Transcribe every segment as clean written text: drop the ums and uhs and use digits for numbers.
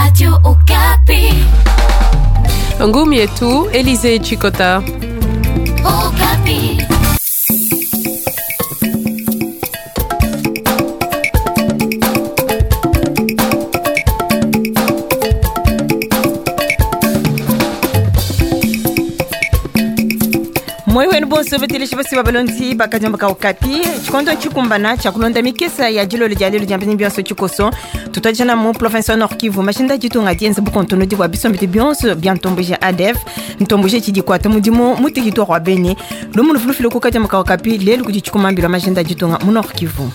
Radio Okapi. Ngumi yetu Elise Chikota. Okapi. Moi wenu bonso beteleshi basi babalondi bakadiomba ka Okapi. Tshikondo tshikumbana tshia kulonda mikesa ya dilolo dia lelo dia mbini bionso tshikoso tutwajana mu province wa Nord Kivu. Mashinda ditunga dienza bukontonodi bua bisombedi bionso bia ntomboji ADF ntomboji tshidi kuata mudimu mu territoire wa Beni. Lumu lufulufile ku kadiomba ka Okapi lelu kudi tshikumambila mashinda ditunga mu Nord Kivu.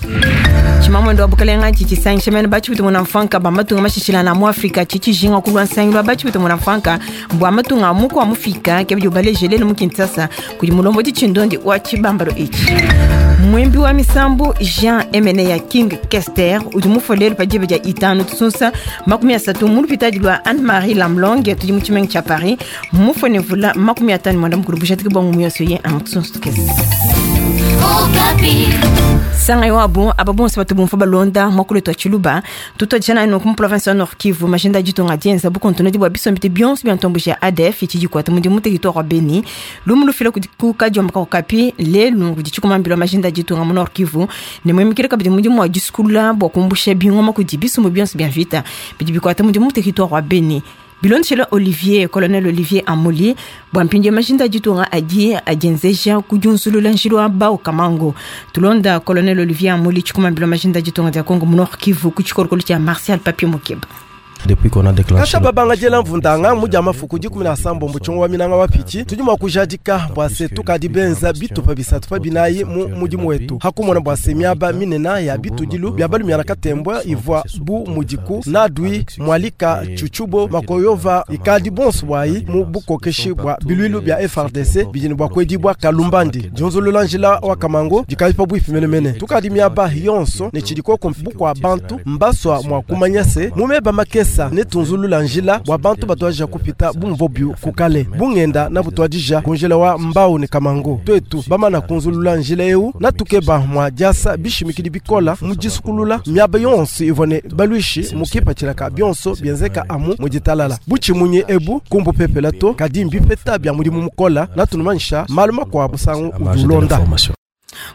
Tshimamwendo wa bukalenga tshitshisangisha mene batshipite muna mfanka ba matunga mashishilana mu Afrika tshitshizinga kulwa nsangilu wa batshipite muna mfanka bua matunga muku wa mufika ke bidi ubaleje lelu mu Kinshasa kudi mulombodi tshindondi wa tshibambalo etshi. Mwimbi wa misambu Jean Emeneya King Kester udi mufue lelu pa diba dia itanu tusunsa 30 mu lupitadi lua Anne-Marie Lamlong tudi mu tshimenga tshia Paris. Mufue ne mvula 51 bujadiki bua ngumu yonso ye amu tusunsa tukese. Okapi. Sanga yo abo aba bonso bato bomfa balonda mwakulo twa tshiluba tutwajana ino ku province ya Nord Kivu. Majenda ditunga dienza bukontonodi bua bisombedi bionso bia ntomboji ya ADF tshidi kuata mudimu territoire wa Beni. Lumu lufila kudi ku kadiomba ka Okapi lelu kudi tshikumambila majenda ditunga mu Nord Kivu ne mwemikile kabidi mudimu wa disukula bua kumbusha bingoma kudi bisumbu bionso bia mvita bidi bikuata mudimu territoire wa Beni. Bilondeshela Olivier, Colonel Olivier Amuli, bua mpindieu majinda ditunga adi adienzeja kudiunzulula njilu wa Bao Kamango. Tulonda Colonel Olivier Amuli tshikumambila majinda ditunga dia Congo mu Nord Kivu ku tshikolokolo tshia Martial Papi Mukeba. Depuis qu'on a déclenché Kasha babanga diela mvundanga mu dia mafuku dikumi na sambombo tshiongo wa minanga wa pichi tudi mua kujadika bua se tukadi benza bitupa bisatu pa binayi mu mudimu wetu hakumona bua se miaba minena ya bitudilu bia balumiana katembwa ivua bu mudiku nadui mwalika chuchubo makoyova ikadi bonso bwayi mu bukokeshi bua biluilu bia FARDC bidi ne bua kuedibua kalumbandi dionzolola njila wa kamango dikadi pabuipi menemene tukadi miaba yonso ne tshidikoko bukua bantu mbaswa mua kumanya se mumeba makesa netunzulula njila bua bantu batwadija kupita bumvo byu kukale bungenda na butwadija kunjila wa mbau ne kamango twetu bamana kunzulula njila eu natukeba mwa diasa bishimikidi bikola mu disukulula miaba yonso ivua ne balwishi mukipatshilaka bionso bienzeka amu mu ditalala butshimunyi ebu kumbu pepela to kadi mbipeta bia mudimu mukola natunumanyisha malu makuabu musangu udi ulonda.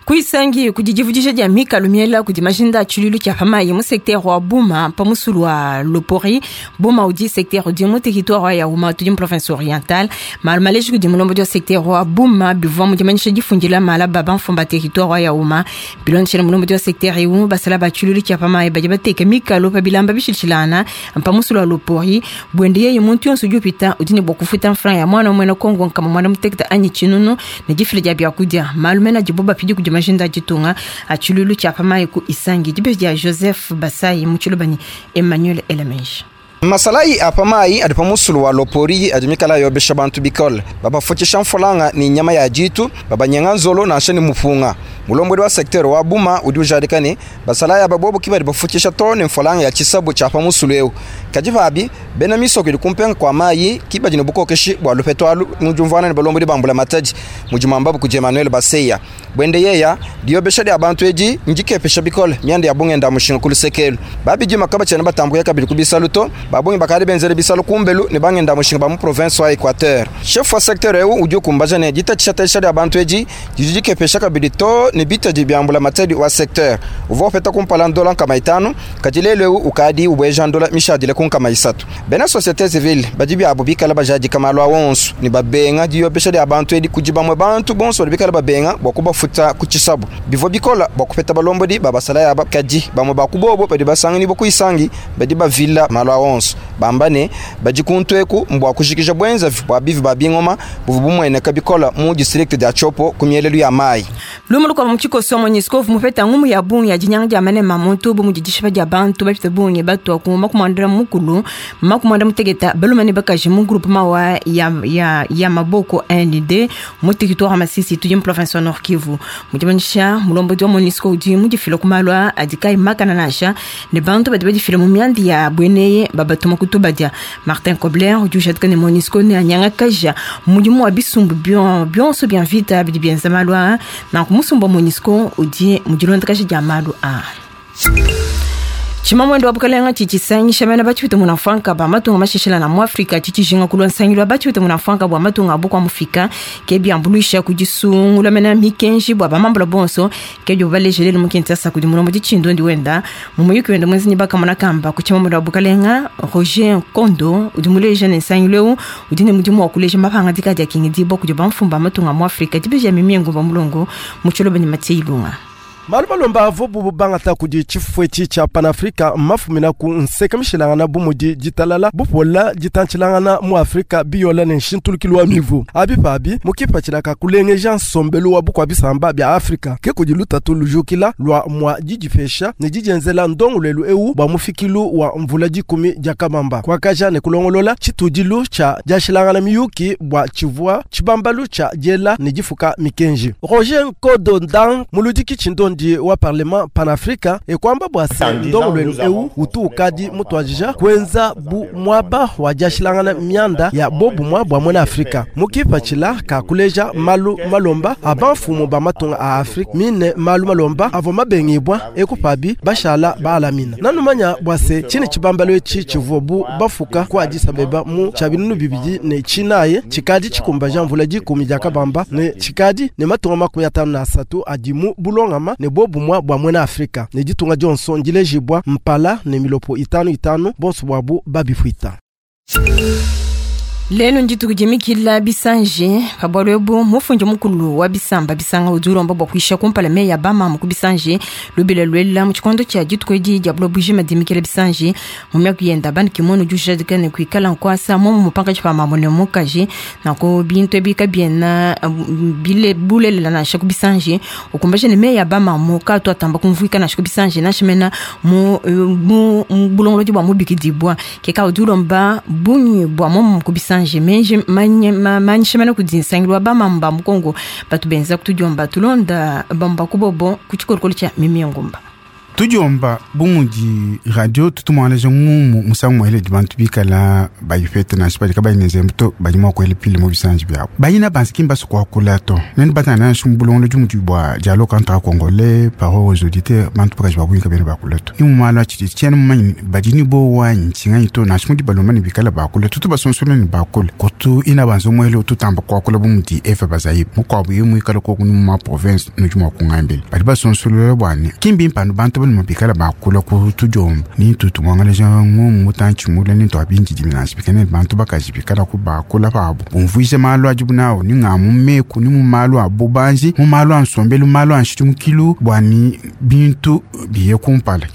Kuisangi kudi divudija dia mikalu miela kudi majinda a tshiluilu tshia pamayi mu secteur wa Buma pa musulu wa Lopori. Buma udi secteur udi mu territoire wa Yauma tudi mu province orientale. Malu maleji kudi mulombodi wa secteur wa Buma bivua mu dimanyisha difundila mala ba bamfumba territoire wa Yauma. Bilondeshela mulombodi wa secteur eu basala ba tshiluilu tshia pamayi badi bateka mikalu pa bilamba bishilshilana pa musulu wa Lopori. Buende yeye muntu yonso udi upita udi ne bua kufuta mfranga ya mwana umue na Kongo nkama mwana muteketa anyi tshinunu ne difila dia biakudia. Malu mena adibo bapidi kudi majinda ditunga a tshiluilu tshia pamayi ku Isangi. Dibeji dia Joseph Basai mu tshilubani Emmanuel Elemenji. Masalayi a pamayi adi pa musulu wa Lopori adi mikala yobesha bantu bikole babafukisha mfulanga ni nyama ya jitu babanyenga nzolo nansha ni mupunga. Mulombodi wa secteur wa Buma udi ujadika ne basalayi aba bobo ki badi bafukisha to ne mfulanga ya tshisabu tshia pa musulu eu. Kadi pabi bena misoko idi kumpenga kwa mayi ki badi ne bukokeshi bua lupeto alu mu diumvuana ne balombodi ba mbula matadi mudi mwambabu kudi Emmanuel Baseya. Bwende yeya diobesha dia bantu edi ndikepesha bikole mianda ya bungenda mushinga ku lusekelu. Babidi makaba tshiena batambuka kabidi ku bisalu to babungi bakadi benzele bisalu kumbelu ne bangenda mushinga ba mu province wa Equateur. Chef wa secteur eu udi ukumbaja ne ditatshisha dia bantu edi didi dikepesha kabidi to ne bitadi bia mbula matadi wa secteur. Uvua upeta kumpala ndola nkama itanu, kadi lelu eu ukadi ubweja ndola mishadile ku nkama isatu. Bena société civile badi biabo bikala bajadika malu a wonso ne babenga diyobesha dia bantu edi kudi bamwe bantu bonso badi bikala babenga bua kubafuta ku tshisabu. Bivua bikola bua kupeta balombodi ba basala yaba kadi bamwe ba kubobo badi basangani bo kuisangi badi bavila malu a wonso bamba ne badi kuntu eku mbua kujikija bwenza bua bivi ba bingoma buvu bumueneka bikola mu district dia Tshopo ku mielelu ya mayi. Lumu lukua mu tshikoso MONUSCO mupeta ngumu ya bungi ya dinyanga dia manema muntu bu mudi dishipa dia bantu bapita bungi batua ku makumwandela mukulu makumwanda muteketa balume ne bakaji mu groupement wa ya maboko ND mu territoire Masisi tudi mu province wa Nord Kivu. Mudimanyisha mulombodi wa MONUSCO udi mudifila ku malu a adi kayi makana nansha ne bantu badi badifila mu mianda ya bweneye babatuma kutubadia. Martin Kobler udi ujadika ne MONUSCO ne anyanga kaja mudimu wa bisumbu bionso bia mvita bidi bienza malu a nanku musumbu wa MONUSCO udi mudilondakaja dia malu a. Tshimamuende wa bukalenga tshidi tshisangisha bena batshipite munamfuanka ba matunga masheshela mu Afrika tshidi tshijinga kulua nsangilu wa batshipite munamfuanka bua matunga a bukua mufika ke biambuluisha ku disungula mena mikenji bua bamambula bonso ke bdibu baleja lelu mu Kinshasa kudi mulombodi tshindondi wenda mu muyuki wenda muenza ne bakamona kamba ku tshimamuende wa bukalenga Roger Nkondo udi muleja ne nsangilu eu udi ne mudimu wa kuleja mapangadika adi akengedibua kudi bamfumu ba matunga a mu Afrika dibeji Mimie Ngumba Mulongo mu tshiloba ne Mathieu Ilunga. Malu malomba avuabu bangata kudi tshifufu etshi tshia Panafrika mmafumina ku nseke mishilangana bu mudi ditalala, bupola, ditantshilangana mu Afrika, biyola ne nshintulukilu wa mivu. Abi pabi mu kipatshila ka kulengeja nsombelu wa bukua-bisamba bia Afrika. Ke kudi lutatu lujukila lua mua didipesha ne didienzela ndongoluelu eu bua mufikilu wa mvula dikumi dia kabamba, kuakaja ne kulongolola tshitudilu tshia diashilangana miyuki bua tshivua tshibambalu tshia diela ne difuka mikenji. Roger Nkodo Dang, muludiki tshindondi wa Parlement Panafrica, e kuamba bua se, ndongoluelu eu utu ukadi mutuadija kuenza bu muaba wa diashilangana mianda ya bobumua bua muena Afrika mu kipatshila ka kuleja malu malomba a bamfumu ba matunga a Afrika mine malu malomba avua mabengibua eku pabi bashala baalamina. Nanumanya bua se, tshine tshibambalu etshi tshivuabu bafuka ku Addis Abeba mu tshia 2009 tshikadi tshikumbaja mvula dikumi dia kabamba ne tshikadi ne matunga 53 adi mu bulongama ne bobumua bua muena Afrika ne ditunga dionso ndilejibua mpala ne milopo itanu itanu bonso buabu babifuita. Lelu ndituku dimikila bisanji pa bualu ebu mufundi mukulu wa bisamba bisanga udi ulomba bua kuisha kumpala meyi a bamamu ku bisanji lubila luela mu tshikondo tshia dituku edi dia buloba bujima dimikila bisanji mu miaku yenda Ban Ki-moon udi ujadika ne kuikala nkuasa muomu pankatshi pa mamu ne mukaji nanku bintu ebi kabiena bile bulelela nansha ku bisanji ukumbaja ne meyi a bamamu kaatu atamba kumvuika nansha ku bisanji nansha mena mu, mu, mu bulongolodi bua mubikidibua ke ka udi ulomba bungi bua muomu ku bisanji menji manyisha mena kudi nsangilu wa bamamu ba mu Kongo batu benza kutudiomba tulonda bamba kubobo ku tshikolokolo tshia Mimie Ngumba. Tudiomba bu mudi radio tutumuangalaja ngumu musangu mueledi bantu bikala bayipete nansha badi kabayi ne nzembu to badi mua kuela pile mu bisanji biabu bayina bansi ki mbasu kuakula to nenu batana nansha mu bulongolodi mudi bua dialogue entre congolais parole aux auditeurs bantu bakaji ba bungi kabena bakula to ni mu malu a tshididi tshiena mumanye badi ne bowa ntshinganyi to nansha mudi balomba ne bikala bakula tutu basonsola ne bakula kutu ina banza muele ututamba kuakula bu mudi Eva Bazaiba mukuabu ye muikala koku ni mu ma province nudi mua kungambila badi basonsolola bua ne ki mbimpe anu bantu balume bikala bakula ku tudiomba ni ntu tumuangalaja ngumu mutantshi mule ni ntua bindidimi nansha bikala ne bantu bakaji bikala ku bakula pabu bumvuija malu adibu nawu ni nga mu meku ni mu malu a bubanji mu malu a nsombelu malu a nshidimukilu bua ni bintu biye kumpala.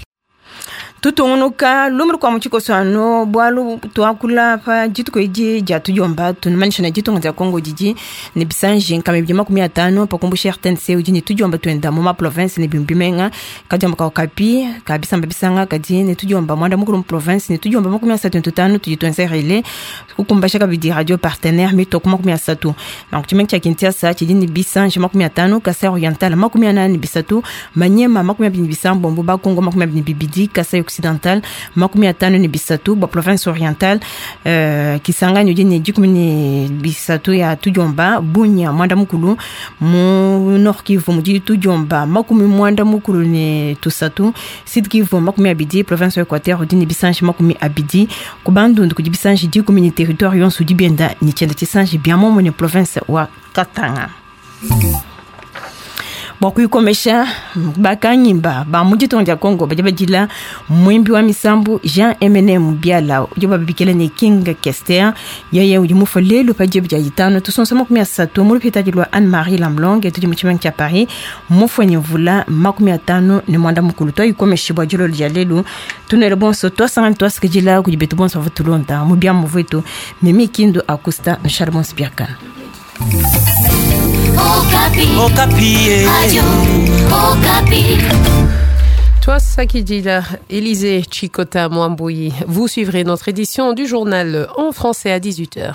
Tutungunuka lumu lukua mu tshikoso anu bualu tuakula pa dituku edi dia tudiomba tunumanyisha ne ditunga dia Congo didi ne bisanji nkama ibidi 50 pa kumbusha RTNC udi ne tudiomba tuenda mu ma province ne bimue bimenga kadiomba ka Okapi ka bisamba bisanga kadi ne tudiomba muanda mukulu mu province ne tudiomba 35 tudi tuenza relais kukumbasha kabidi radio partenaire mitoko 30 nanku tshimenga tshia Kinshasa tshidi ne bisanji 50 Kasai Oriental 43 Maniema 29 Bakongo 22 Kasai Occidental 53 bua province orientale Kisangani udi ne 13 ya tudiomba Bunia muanda mukulu mu Nord Kivu mudi tudiomba 93 Sud Kivu 20 province wa Equateur udi ne bisanji 20 ku Bandundu kudi bisanji 10 ne territoire yonso udi bienda ne tshienda tshisanji bia muomumue ne province wa Katanga. Bua kuyikomesha bakanyimba ba mu ditunga dia Congo badi badila muimbi wa misambu Jean Eminem Biala udi babikila ne King Kester yeye udi mufue lelu pa diba dia ditanu tusonso 30 mu lupitadi lua Anne-Marie Lamblong tudi mu tshimenga tshia Paris mufue ne mvula 59 tuayikomesha bua dilolo dia lelu tunuele bonso twasangana twasikidila kudi betu bonso bavua tulonda mu biamu vuetu Mimi Kindu Acosta nushale bonso biakana. Okapi. Okapi. Radio Okapi. Toi, Sakidila, Élisée Chikota Mwambouyi. Vous suivrez notre édition du journal en français à 18h.